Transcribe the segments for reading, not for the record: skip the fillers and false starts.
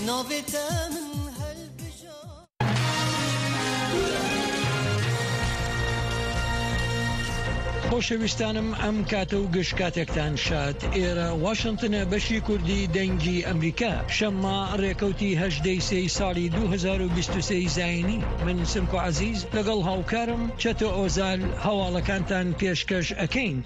Navê te min خۆشەویستانم ئەم کاتە و گشت کاتێکتان شاد ئێرە واشنتنە بەشی کوردی دەنگی ئەمریکا شەممە ڕێکەوتی هەژدەی سێی ساڵی 2023 زینی من سمکۆ عەزیز لەگەڵ هاوکارم چەتۆ ئۆزال هەواڵەکانتان پێشکەش ئەکەین.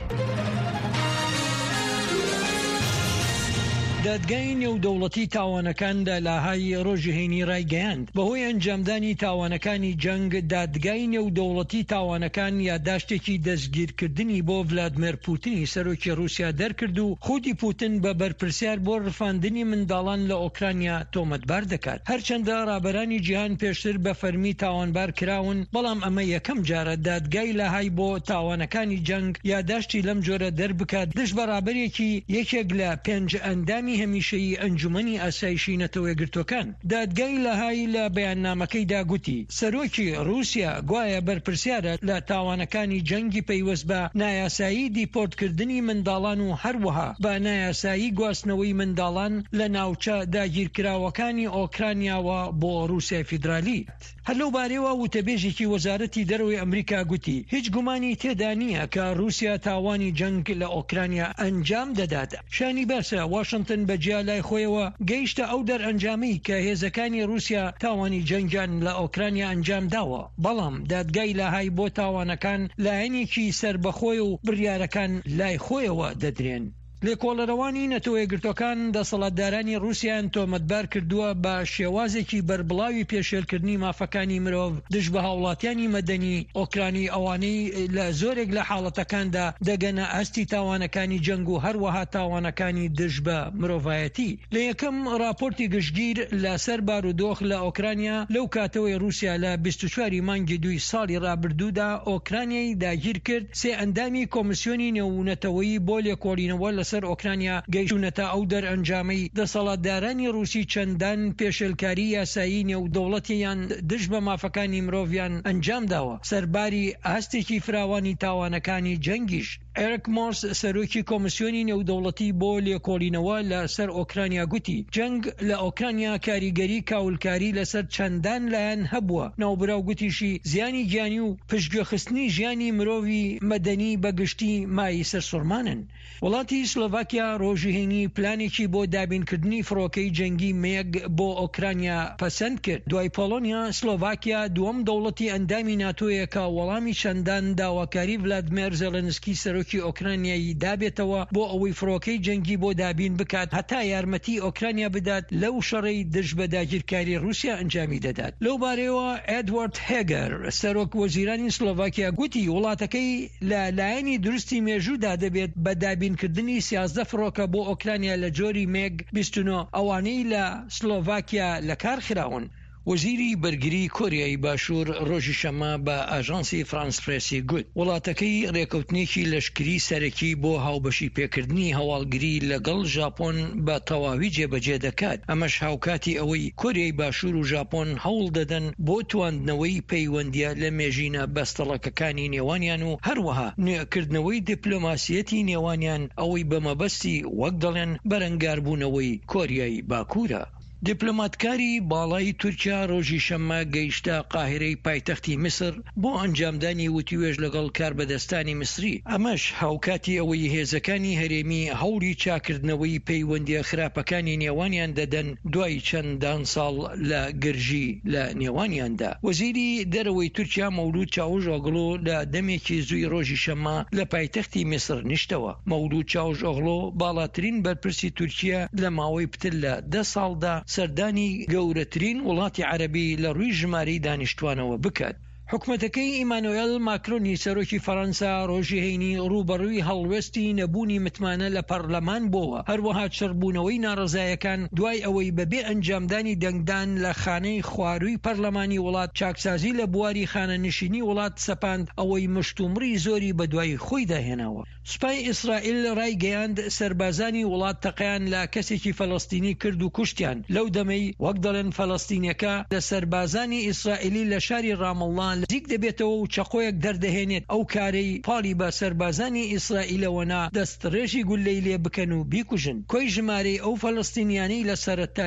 دادگای نێودەوڵەتی تاوانەکان لە لاهای ڕۆژی هەینی ڕایگەیاند، بەهۆی ئەنجامدانی تاوانەکانی جەنگ، دادگای نێودەوڵەتی تاوانەکان یاداشتێکی دەستگیرکردنی بۆ ڤلادمێر پوتنی سەرۆکی ڕووسیا دەرکرد و خودی پوتن بە بەرپرسیار بۆ ڕفاندنی منداڵان لە ئۆکرانیا تۆمەتبار دەکات. هەرچەندە ڕابەرانی جیهان پێشتر بە فەرمی تاوانبار کراون، بەڵام ئەمە یەکەم جارە دادگای لاهای بۆ تاوانەکانی جەنگ یاداشتی لەم جۆرە دەربکات دژ بە ڕابەرێکی یەکێک لە پێنج ئەندامی هەمیشەیی ئەنجومەنی ئاسایشی نەتەوەیەکگرتووەکان. دادگای لاهای لە بەیاننامەکەیدا گوتی، سەرۆکی ڕووسیا گوایە بەرپرسیارە لە تاوانەکانی جەنگی پەیوەست بە نایاسایی دیپۆرتکردنی منداڵان و هەروەها بە نایاسایی گواستنەوەی منداڵان لە ناوچە داگیرکراوەکانی ئۆکرانیاوە بۆ ڕووسیای فیدرالی. هەر لەو بارەیەوە وتەبێژێکی وەزارەتی دەرەوەی ئەمریکا گوتی، هیچ گومانی تێدا نییە کە ڕووسیا تاوانی جەنگ لە ئۆکرانیا ئەنجام دەدات. شایانی باسە، واشنتن بە جیا لای خۆیەوە گەیشتە ئەو دەرئەنجامەی کە هێزەکانی ڕووسیا تاوانی جەنگیان لە ئۆکرانیا ئەنجام داوە، بەڵام دادگای لاهای بۆ تاوانەکان لایەنێکی سەربەخۆیە و بڕیارەکان لای خۆیەوە دەدرێن. لێکۆڵەرەوانی نەتەوەیەکگرتووەکان دەسەڵاتدارانی ڕووسیایان تۆمەتبار کردووە بە شێوازێکی بەربڵاوی پێشێلکردنی مافەکانی مرۆڤ دژ بە هاوڵاتیانی مەدەنی ئۆکرانی ئەوانەی لە زۆرێک لە حاڵەتەکاندا دەگەنە ئاستی تاوانەکانی جەنگ و هەروەها تاوانەکانی دژ بە مرۆڤایەتی. لە یەکەم ڕاپۆرتی گشتگیر لە سەر بارودۆخ لە ئۆکرانیا لەو کاتەوەی ڕووسیا لە 24 ی مانگی دووی ساڵی ڕابردوودا ئۆکرانیای داگیرکرد، سێ ئەندامی کۆمسیۆنی نێونەتەوەیی بۆ لێکۆڵینەوە لەسەر ئۆکرانیا گەیشتوونەتە ئەو دەرئەنجامەی دەسەڵاتدارانی ڕووسی چەندان پێشێلکاری یاسایی نێودەوڵەتیان دژ بە مافەکانی مرۆڤیان ئەنجامداوە سەرباری ئاستێکی فراوانی تاوانەکانی جەنگیش. ئێرک مۆرس سەرۆکی کۆمسیۆنی نێودەوڵەتی بۆ لێکۆڵینەوە لە سەر ئۆکرانیا گوتی، جەنگ لە ئۆکرانیا کاریگەری کاولکاری لەسەر چەندان لایەن هەبووە. ناوبراو گوتیشی، زیانی گیانی و پشتگوێخستنی ژیانی مرۆڤی مەدەنی بە گشتی مایەی سەرسوڕمانن. وڵاتی سلۆڤاکیا ڕۆژی هەینی پلانێکی بۆ دابینکردنی فڕۆکەی جەنگی مێگ بۆ ئۆکرانیا پەسەند کرد. دوای پۆڵۆنیا، سلۆڤاکیا دووەم دەوڵەتی ئەندامی ناتۆیە کە وەڵامی چەندان داواکاری ڤلادمێر زێڵێنسکی سەرۆکی ئۆکرانیای دابێتەوە بۆ ئەوەی فڕۆکەی جەنگی بۆ دابین بکات هەتا یارمەتی ئۆکرانیا بدات لەو شەڕەی دژ بە داگیرکاری ڕووسیا ئەنجامی دەدات. لەو بارەیەوە ئێدوارد هێگەر سەرۆک وەزیرانی سلۆڤاکیا گوتی وڵاتەکەی لە لایەنی دروستی مێژوودا دەبێت بە دابینکردنی 13 فڕۆکە بۆ ئۆکرانیا لە جۆری مێگ 29 ئەوانەی لە سلۆڤاکیا لەکار خراون. وەزیری بەرگری کۆریای باشوور ڕۆژی شەممە بە ئاژانسی فرانس پرێسی گوت، وڵاتەکەی ڕێکەوتنێکی لەشکری سەرەکی بۆ هاوبەشی پێکردنی هەواڵگری لەگەڵ ژاپۆن بە تەواوی جێبەجێ دەکات، ئەمەش هاوکاتی ئەوەی کۆریای باشوور و ژاپۆن هەوڵ دەدەن بۆ تواندنەوەی پەیوەندییە لەمێژینە بەستەڵەکەکانی نێوانیان و هەروەها نوێکردنەوەی دیپلۆماسییەتی نێوانیان ئەوەی بە مەبەستی وەک دەڵێن بەرەنگاربوونەوەی کۆریای باکوورە. دیپلۆماتکاری باڵای تورکیا ڕۆژی شەممە گەیشتە قاهیرەی پایتەختی میسر بۆ ئەنجامدانی وتوێژ لەگەڵ کاربەدەستانی میسری، ئەمەش هاوکاتی ئەوەی هێزەکانی هەرێمی هەوڵی چاکردنەوەی پەیوەندییە خراپەکانی نێوانیان دەدەن دوای چەندان ساڵ لە گرژی لە نێوانیاندا. وەزیری دەرەوەی تورکیا مەولود چاوشئۆغڵو لە دەمێکی زووی ڕۆژی شەممە لە پایتەختی میسر نیشتەوە. مەولود چاوشئۆغڵو باڵاترین بەرپرسی تورکیە لە ماوەی پتر لە دە ساڵدا سەردانی گەورەترین وڵاتی عەرەبی لە ڕووی ژمارەی دانیشتوانەوە بکات. حکومەتەکەی ئیمانۆێل ماکرۆنی سەرۆکی فەرەنسا ڕۆژی هەینی ڕووبەڕووی هەڵوێستی نەبوونی متمانە لە پەرلەمان بۆوە، هەروەها چڕبوونەوەی ناڕەزایەکان دوای ئەوەی بەبێ ئەنجامدانی دەنگدان لە خانەی خوارووی پەرلەمانی وڵات چاکسازی لە بواری خانەنشینی وڵات سەپاند ئەوەی مشتومڕی زۆری بەدوای خۆیدا هێناوە. سوپای ئیسرائیل رایگەیاند، سەربازانی وڵات تەقەیان لە کەسێکی فەلەستینی کرد و کوشتیان، لەو دەمەی وەک دەڵێن فەلەستینیەکە لە سەربازانی ئیسرائیلی لە شاری رامەڵڵا نزیک دەبێتەوە و چەقۆیەک دەردەهێنێت، ئەو کارەی پاڵی بە سەربازانی ئیسرائیلەوە نا دەستڕێژی گوللەی لێ بکەن و بیکوژن. کۆی ژمارەی ئەو فەلەستینیانەی لە سەرەتای.